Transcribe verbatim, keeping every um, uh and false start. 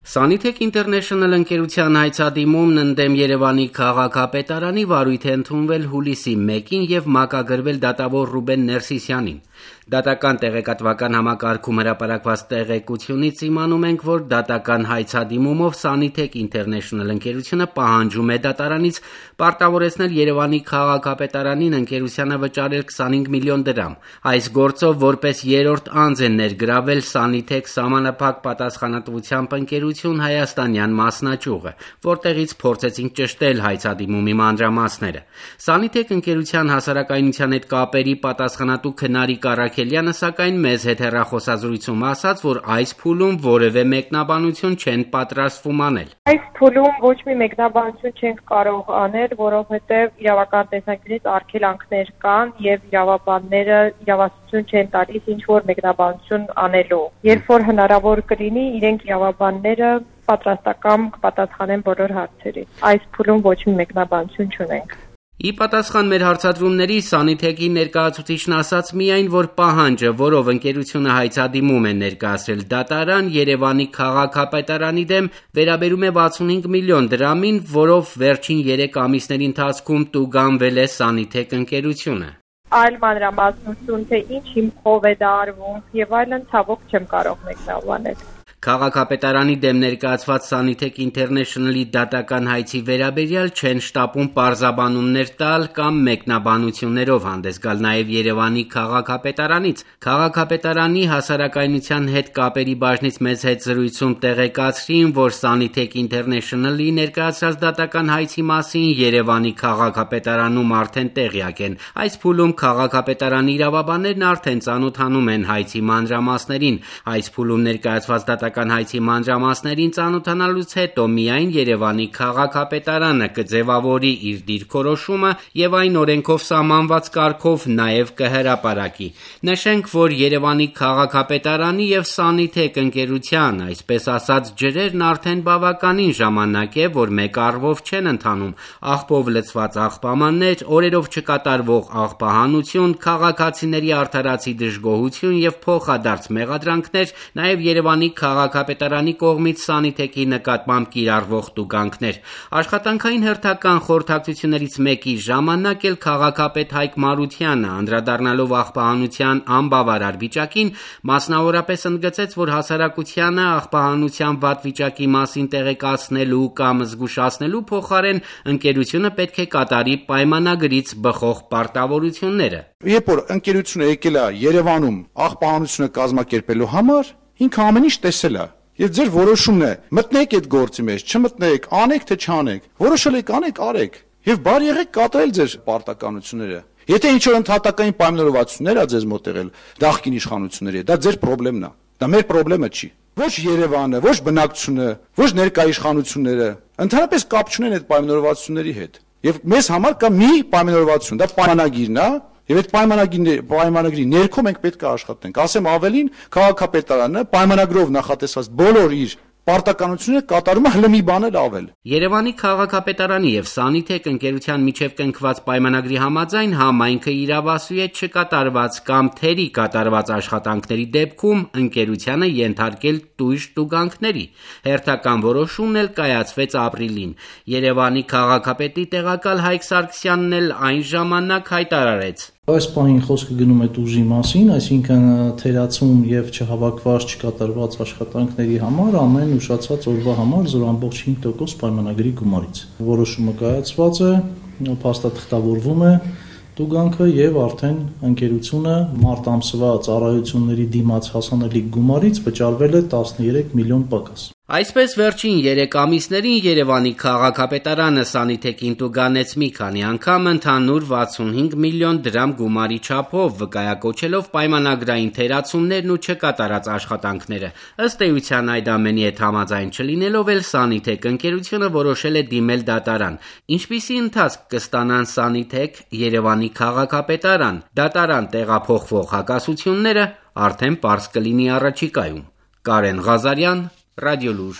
Sanitec International ընկերության հայցադիմումն ընդդեմ Երևանի քաղաքապետարանի վարույթ է ընդունվել հուլիսի մեկին և մակագրվել դատավոր Ռուբեն Ներսիսյանին։ Դատական տեղեկատվական համակարգում հրապարակված տեղեկությունից իմանում ենք, որ դատական հայցադիմումով Sanitec International ընկերությունը պահանջում է դատարանից պարտավորեցնել Երևանի քաղաքապետարանին ընկերությանը վճարել քսանհինգ միլիոն դրամ։ Այս գործով որպես երրորդ անձ է ներգրավել Sanitec սահմանափակ պատասխանատվությամբ ընկերություն հայաստանյան մասնաճյուղը, որտեղից փորձեցինք ճշտել հայցադիմումի մանրամասները։ Sanitec ընկերության հասարակայնության հետ կապերի պատասխանատու Քնարիկ Առաքելյանը սակայն մեզ հետ հեռախոսազրույցում ասաց, որ այս փուլում որևէ մեկնաբանություն չեն պատրաստվում անել։ Այս փուլում ոչ մի մեկնաբանություն չենք կարող անել, որովհետև իրավական տեսանկյունից արգելանքներ կան եւ իրավաբանները իրավասություն չեն տալիս ինչ որ մեկնաբանություն անելու։ Երբ որ հնարավոր կլինի, իրենք իրավաբանները պատրաստական կպատասխանեն բոլոր հարցերին։ Այս փուլում ոչ մի մեկնաբանություն չունենք։ Ի պատասխան մեր հարցադրումների Sanitec-ի ներկայացուցիչն ասաց միայն, որ պահանջը, որով ընկերությունը հայցադիմում է ներկայացրել դատարան Երևանի քաղաքապետարանի դեմ, վերաբերում է վաթսունհինգ միլիոն դրամին, որով վերջին երեք ամիսների ընթացքում տուգանվել է Sanitec ընկերությունը։ Այլ մանրամասնություն, թե ինչ հիմքով է դա արվում եւ այլն ցավոք չեմ կարող մեկնաբանել։ Քաղաքապետարանի դեմ ներկայացված Sanitec International-ի դատական հայցի վերաբերյալ չեն շտապում պարզաբանումներ տալ կամ մեկնաբանություններով հանդես գալ նաև Երևանի քաղաքապետարանից։ Քաղաքապետարանի հասարակայնության հետ կապերի բաժնից մեծ հետ զրույցում տեղեկացրին, որ Sanitec International-ի ներկայացրած դատական հայցի մասին Երևանի քաղաքապետարանում արդեն տեղյակ են։ Այս փուլում քաղաքապետարանի իրավաբաններն արդեն ծանոթանում են հայցի մանրամասներին։ Այս փուլում ներկայացված դատական հայցի մանրամասներին ծանոթանալուց հետո միայն Երևանի քաղաքապետարանը կձևավորի իր դիրքորոշումը եւ այն օրենքով սահմանված կարգով նաեւ կհրապարակի։ Նշենք, որ Երևանի քաղաքապետարանի եւ Sanitec ընկերության, այսպես ասած, ջրերն արդեն բավականին ժամանակ է, որ մեկ առվով չեն ընթանում։ Աղբով լցված աղբամաններ, օրերով չկատարվող աղբահանություն, քաղաքացիների արդարացի դժգոհություն եւ փոխադարձ մեղադրանքներ, նաեւ Երևանի քաղաքապետարանի կողմից Sanitec-ի նկատմամբ կիրառվող տուգանքներ։ Աշխատանքային հերթական խորհրդակցություններից մեկի ժամանակ էլ քաղաքապետ Հայկ Մարությանը, անդրադառնալով աղբահանության անբավարար վիճակին, մասնավորապես ընդգծեց, որ հասարակությանը աղբահանության վատ վիճակի մասին տեղեկացնելու կամ զգուշացնելու փոխարեն ընկերությունը պետք է կատարի պայմանագրից բխող պարտավորությունները։ Երբ որ ընկերությունը եկել է Երևանում աղբահանությունը կազմակերպելու համար, ինքը ամեն ինչ տեսել է եւ ձեր որոշումն է մտնեք այդ գործի մեջ, չմտնեք, անեք թե չանեք, որոշել եք անեք, արեք եւ բար եղեք կատարել ձեր պարտականությունները։ Եթե ինչ որ ընդհատակային պայմանավորվածություններ ա ձեզ մոտ եղել դάχկին իշխանությունների, դա ձեր խնդիրն է, դա մեր խնդիրը չի։ Ոչ Երևանը, ոչ բնակչությունը, ոչ ներկա իշխանությունները ընդհանրապես կապ չունեն այդ պայմանավորվածությունների հետ։ Եվ մեզ համար կա մի պայմանավորվածություն, դա պայմանագիրն է։ Եվ այդ պայմանագրի պայմանագրի ներքո մենք պետք է աշխատենք։ Ասեմ ավելին, քաղաքապետարանը պայմանագրով նախատեսված բոլոր իր պարտականությունները կատարում է հլը մի բան էլ ավել։ Երևանի քաղաքապետարանի եւ Sanitec ընկերության միջև կնքված պայմանագրի համաձայն համայնքը իրավասու է չկատարված կամ թերի կատարված աշխատանքների դեպքում ընկերությանը ենթարկել տույժ տուգանքների։ Հերթական որոշումն էլ կայացվեց ապրիլին։ Երևանի քաղաքապետի տեղակալ Հայկ Սարգսյանն էլ այն ժամանակ հայտարարեց. Այս պահին խոսքը գնում է տուժի մասին, այսինքն թերացում եւ չհավաքված չկատարված աշխատանքների համար ամեն ուշացած օրվա համար զրո ամբողջ հինգ տոկոս պայմանագրի գումարից։ Որոշումը կայացված է, փաստաթղթավորվում է տուգանքը եւ արդեն ընկերությունը մարտ ամսվա ծառայությունների դիմաց հասանելիք գումարից վճարվել է տասներեք միլիոն պակաս։ Այսպես վերջին երեք ամիսներին Երևանի քաղաքապետարանը Sanitec-ին տուգանեց մի քանի անգամ ընդհանուր վաթսունհինգ միլիոն դրամ գումարի չափով, վկայակոչելով պայմանագրային թերացումներն ու չկատարած աշխատանքները։ Ըստ էության այդ ամենի հետ համաձայն չլինելով էլ Sanitec ընկերությունը որոշել է դիմել դատարան։ Ինչպիսի ընթացք կստանան Sanitec, Երևանի քաղաքապետարան, դատարան տեղափոխվող հակասությունները արդեն պարզ կլինի առաջիկայում։ Կարեն Ղազարյան, Ռադիոլուր։